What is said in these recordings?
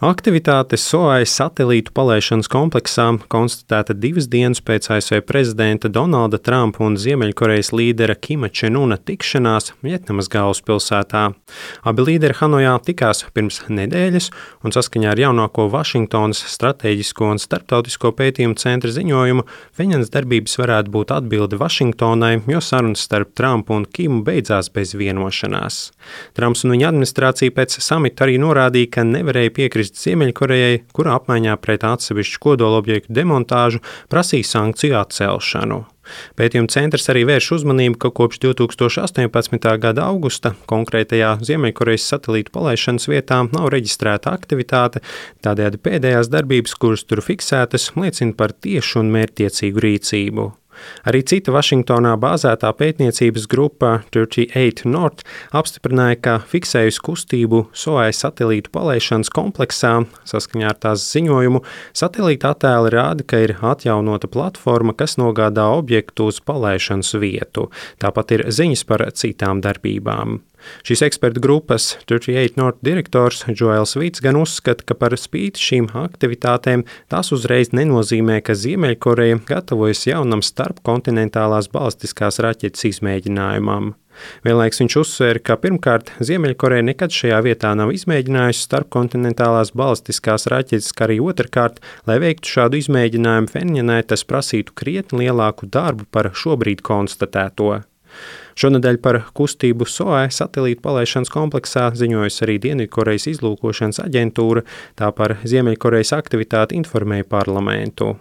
Aktivitāte SOAI satelītu palaišanas kompleksā konstatēta 2 dienas pēc ASV prezidenta Donalda Trumpa un Ziemeļkorejas līdera Kima Čen Una tikšanās Vjetnamas galvaspilsētā. Abi līderi Hanojā tikās pirms nedēļas, un saskaņā ar jaunāko Vašingtonas Stratēģisko un starptautisko pētījumu centra ziņojumu, Pjeņanas darbības varētu būt atbilde Vašingtonai, jo sarunas starp Trumpu un Kimu beidzās bez vienošanās. Trumps un viņa administrācija pēc samita arī norādīja, ka nevarēja piekrist Ziemeļkorejai, kura apmaiņā pret atsevišķu kodolobjektu demontāžu prasīja sankciju atcelšanu. Pētījuma centrs arī vērš uzmanību, ka kopš 2018. gada augusta konkrētajā Ziemeļkorejas satelītu palaišanas vietā nav reģistrēta aktivitāte, tādējādi pēdējās darbības, kuras tur fiksētas, liecina par tiešu un mērķtiecīgu rīcību. Arī cita Vašingtonā bāzētā pētniecības grupa 38 North apstiprināja, ka fiksējusi kustību SOAI satelītu palaišanas kompleksā. Saskaņā ar tās ziņojumu, satelīta attēli rāda, ka ir atjaunota platforma, kas nogādā objektu uz palaišanas vietu. Tāpat ir ziņas par citām darbībām. Šīs ekspertu grupas 38 North direktors Joels Vīts gan uzskata, ka par spīti šīm aktivitātēm tās uzreiz nenozīmē, ka Ziemeļkoreja gatavojas jaunam starpkontinentālās balistiskās raķetes izmēģinājumam. Vienlaiks viņš uzsver, ka pirmkārt Ziemeļkoreja nekad šajā vietā nav izmēģinājusi starpkontinentālās balistiskās raķetes, kā arī otrkārt, lai veiktu šādu izmēģinājumu Pjeņanai, tas prasītu krietni lielāku darbu par šobrīd konstatēto. Šonedēļ par kustību SOAI satelītu palaišanas kompleksā ziņojusi arī Dienvidkorejas izlūkošanas aģentūra, tā par Ziemeļkorejas aktivitāti informēja parlamentu.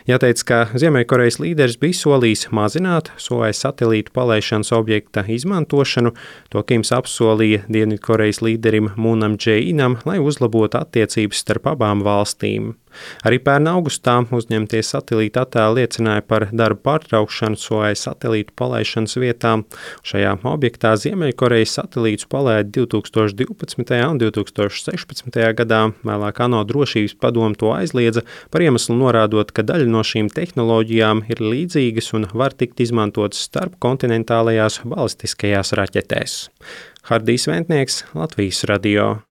Jāteic, ka Ziemeļkorejas līderis bija solījis mazināt SOAI satelītu palaišanas objekta izmantošanu, to Kims apsolīja Dienvidkorejas līderim Mūnam Džē-inam, lai uzlabotu attiecības starp abām valstīm. Arī pērn augustā uzņemtie satelīta attēli liecināja par darbu pārtraukšanu SOAI satelītu palaišanas vietā. Šajā objektā Ziemeļkorejas satelītus palaida 2012. un 2016. gadā, vēlāk ANO drošības padome to aizliedza par iemeslu norādot, ka daļa no šīm tehnoloģijām ir līdzīgas un var tikt izmantotas starpkontinentālajās balistiskajās raķetēs. Hardijs Ventnieks, Latvijas radio.